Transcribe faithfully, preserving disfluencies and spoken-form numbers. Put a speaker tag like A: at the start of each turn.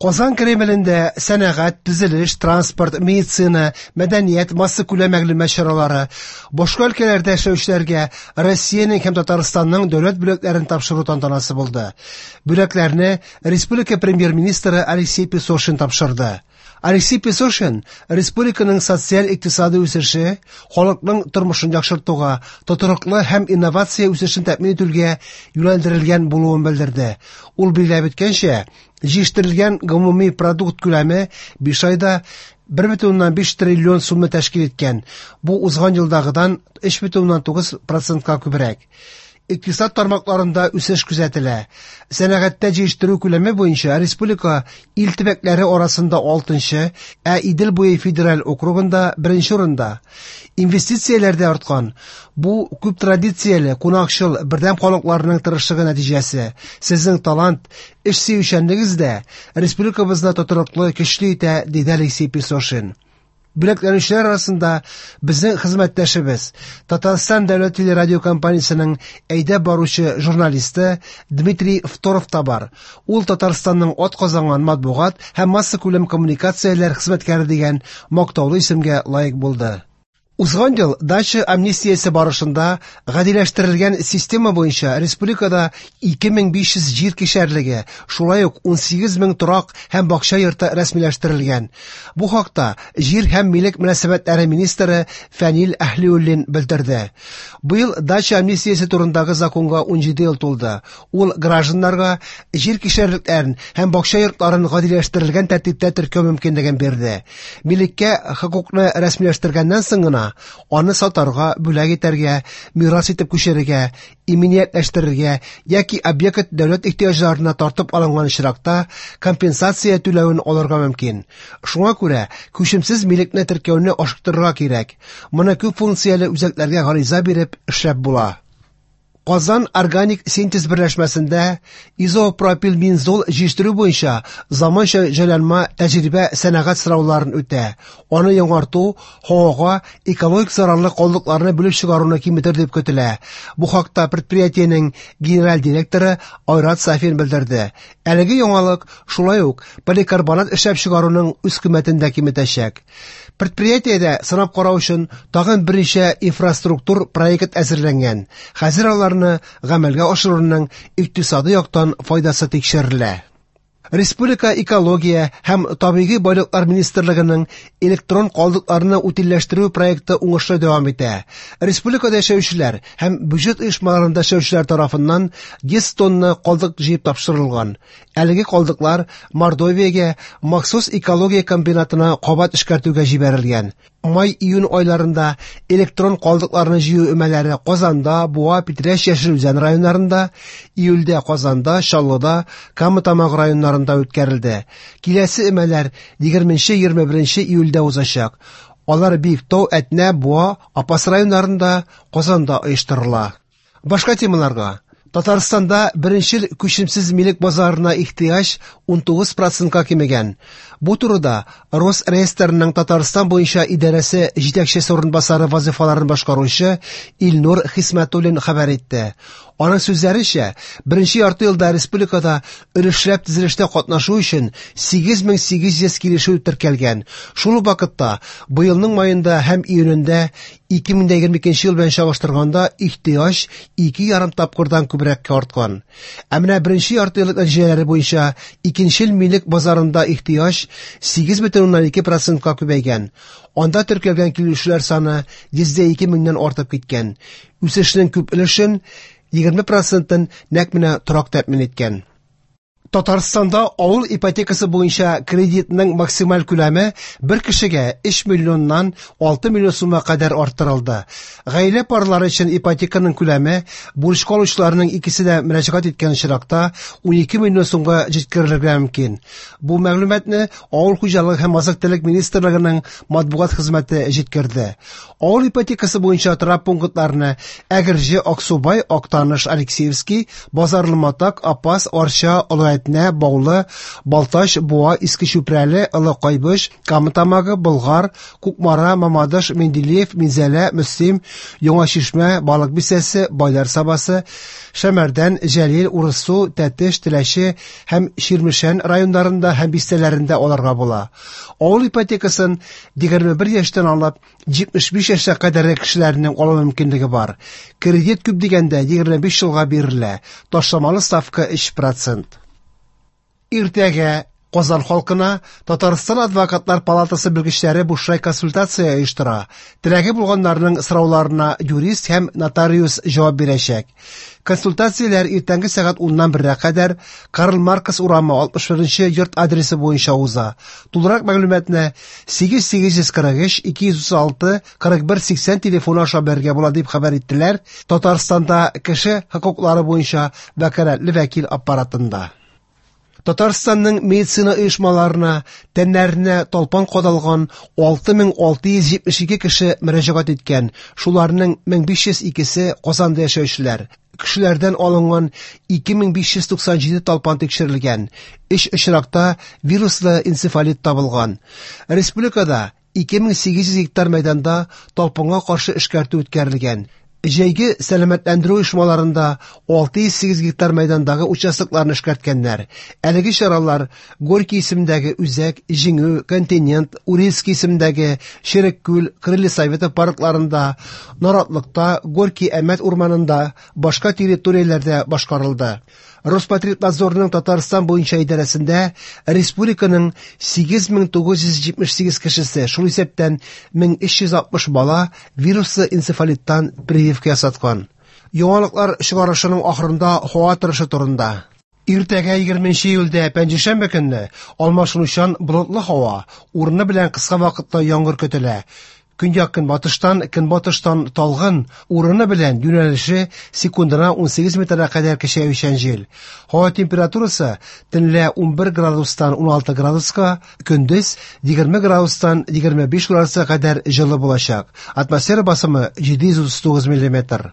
A: Казан Кремлендә сәнәгать, төзелеш, транспорт, медицина, мәдәният, массакүләм мәгълүмат чаралары, башка өлкәләрдә эшләүчеләргә Россиянең һәм Татарстанның дәүләт бүләкләрен тапшыру тантанасы булды. Бүләкләрне республика премьер-министры Алексей Песошин тапшырды. Алексей Песошин республиканың социаль-икътисади үсеше, халыкның тормышын яхшыртуга, тотрыклы һәм инновация үсешен тәэмин итүгә юнәлдерелгән булуын белдерде. Ул билгеләп үткәнчә, җитештерелгән гомуми продукт күләме биш айда бер бөтен уннан биш триллион сумны тәшкил иткән. Бу узган елдагыдан өч бөтен уннан тугыз процентка күбрәк. Икътисад тармакларында үсеш күзәтелә. Сәнәгатьтә җитештерү күләме буенча республика ил төбәкләре арасында алтынчы, ә Идел буе федераль округында беренче урында. Инвестицияләр дә арткан. Бу күп традицияле, кунакчыл, бердәм халыкларның тырышлыгы нәтиҗәсе. Сезнең талант, эш сөючәнлегегез дә республикабызны тотрыклы, көчле итә, диде Алексей Песошин. Бүләкләнүчеләр арасында безнең хезмәттәшебез, Татарстан дәүләт телерадиокомпаниясенең әйдәп баручы журналисты Дмитрий Второв та бар. Ул Татарстанның атказанган матбугат һәм массакүләм коммуникацияләр хезмәткәре дигән мактаулы исемгә лаек булды. Узган ел дача амнистиясе барышында гадиләштерелгән система буенча республикада ике мең биш йөз җир кишәрлеге, шулай ук унсигез мең торак һәм бакча йорты рәсмиләштерелгән. Бу хакта җир һәм милек мөнәсәбәтләре министры Фәнил Әһлиуллин белдерде. Быел дача амнистиясе турындагы законга унҗиде ел тулды. Ул гражданнарга җир кишәрлекләрен һәм бакча йортларын гадиләштерелгән тәртиптә теркәү мөмкинлеген бирде. Милеккә хокукны рәсмиләштергәннән соң гына аны сатарга, бүләк итәргә, мирас итеп күчерергә, иминиятләштерергә яки объект дәүләт ихтыяҗларына тартып алынган очракта компенсация түләвен алырга мөмкин. Шуңа күрә күчемсез милекне теркәүне ашыктырырга кирәк. Моны күп функцияле үзәкләргә гариза биреп эшләп була. Казан органик синтез берләшмәсендә изопропилбензол җитештерү буенча заманча җайланма тәҗрибә сәнәгать сорауларын үтә. Аны яңарту һавага экологик зарарлы калдыкларны бүлеп чыгаруны киметер дип көтелә. Бу хакта предприятиенең генераль директоры Айрат Сафин белдерде. Әлеге яңалык шулай ук поликарбонат эшләп чыгаруның үз кыйммәтен дә киметәчәк. Предприятиедә сынап карау өчен тагын берничә инфраструктур проект әзерләнгән. Хәзер аларны гамәлгә ашыруның икътисади яктан файдасы тикшерелә. Республика экология һәм табигый байлыклар министрлыгының электрон калдыкларны утильләштерү проекты уңышлы дәвам итә. Республикада яшәүчеләр һәм бюджет оешмаларында эшләүчеләр тарафыннан йөз тонна калдык җыеп тапшырылган. Әлеге калдыклар Мордовиягә махсус экология комбинатына кабат эшкәртүгә җибәрелгән. Май-июнь айларында электрон калдыкларны җыю өмәләре Казанда, Буа, Питрәч, Яшел Үзән районнарында, июльдә Казанда, Чаллыда, Кама Тамагы районнарында үткәрелде. Киләсе өмәләр егерменче, егерме беренче июльдә узачак. Алар Биектау, Әтнә, Буа, Апас районнарында, Казанда оештырыла. Башка темаларга. Татарстанда беренчел күчемсез милек базарына ихтыяҗ унтугыз процентка кимегән. Бу турыда Росреестрның Татарстан буенча идарәсе җитәкчесе урынбасары вазифаларын башкаручы Илнур Хисмәтуллин хәбәр итте. Аның сүзләренчә, беренче ярты елда республикада өлешләп төзелештә катнашу өчен сигез мең сигез йөз килешү теркәлгән. Шул ук вакытта быелның маенда һәм июнендә ике мең егерме икенче ел белән чагыштырганда ихтыяҗ ике ярым тапкырдан күбрәккә арткан. Ә менә беренче ярты еллык нәтиҗәләре буенча икенчел милек базарында ихтыяҗ сигез бөтен уннан ике процентка күбәйгән. Анда теркәлгән килүчеләр саны йөздә ике меңнән артып киткән. Үсешнең күп өлешен егерме процентын нәкъ менә торак тәэмин иткән. Татарстанда авыл ипотекасы буенча кредитның максималь күләме бер кешегә өч миллионнан алты миллион сумга кадәр арттырылды. Гаилә парлары өчен ипотеканың күләме бурычка алучыларның икесе дә мөрәҗәгать иткән очракта унике миллион сумга җиткерелергә мөмкин. Бу мәгълүматны Авыл хуҗалыгы һәм азык-төлек министрлыгының матбугат хезмәте җиткерде. Авыл ипотекасы буенча торак пунктларны Әгерҗе, Аксубай, Актаныш, Алексеевский, Базарлы Матак, Апас, Арча, Олы Әтнә, Баулы, Балтач, Буа, Иске Чүпрәле, Олы Кайбыч, Кама Тамагы, Болгар, Кукмара, Мамадыш, Менделеев, Минзәлә, Мөслим, Яңа Чишмә, Балык Бистәсе, Байлар Сабасы, Шәмәрдән, Җәлил, Урыссу, Тәтеш, Теләче һәм Чирмешән районнарында һәм бистәләрендә алырга була. Авыл ипотекасын егерме бер яшьтән алып җитмеш биш яшькә кадәрге кешеләрнең алу мөмкинлеге бар. Кредит күп дигәндә егерме биш елга бирелә. Ташламалы ставка өч процент. Иртәгә Казан халкына Татарстан адвокатлар палатасы белгечләре бушлай консультация оештыра. Теләге булганнарның сорауларына юрист һәм нотариус җавап бирәчәк. Консультацияләр иртәнге сәгать уннан бергә кадәр Карл Маркс урамы алтмыш беренче йорт адресы буенча уза. Тулырак мәгълүматны сигез сигез йөз кырык өч ике йөз утыз алты кырык бер сиксән телефоны аша белергә була дип хәбәр иттеләр Татарстанда кеше хокуклары буенча вәкаләтле вәкил аппаратында. Татарстанның медицина оешмаларына тәннәренә талпан кадалган алты мең алты йөз җитмеш ике кеше мөрәҗәгать иткән. Шуларның мең биш йөз икесе Казанда яшәүчеләр. Кешеләрдән алынган ике мең биш йөз туксан җиде талпан тикшерелгән. Өч очракта вируслы энцефалит табылган. Республикада ике мең сигез йөз гектар мәйданда талпанга каршы эшкәртү үткәрелгән. Җәйге сәламәтләндерү оешмаларында алты йөз сигез гектар мәйдандагы участокларны эшкәрткәннәр. Әлеге чаралар Горький исемендәге Үзәк, Җиңү, Континент, Уральский исемендәге Череккүл, Крылья Советов паркларында, Наратлыкта, Горький Әмәт урманында, башка территорияләрдә башкарылды. Роспотребнадзорның Татарстан буенча идарәсендә республиканың сигез мең тугыз йөз җитмеш сигез кешесе, шул исәптән мең өч йөз алтмыш бала вируслы энцефалиттан прививка ясаткан. Яңалыклар чыгарышының ахырында һава торышы турында. Иртәгә егерменче июльдә пәнҗешәмбе көнне алмашынучан болытлы һава, урыны белән кыска вакытта яңгыр көтелә. Көньяк-көнбатыштан, көнбатыштан талгын, урыны белән юнәлеше секундына ун сигез метрга кадәр көчәючән җил. Һава температурасы төнлә ун бер градустан ун алты градуска, көндез егерме градустан егерме биш градуска кадәр җылы булачак. Атмосфера басымы җиде йөз утыз тугыз миллиметр.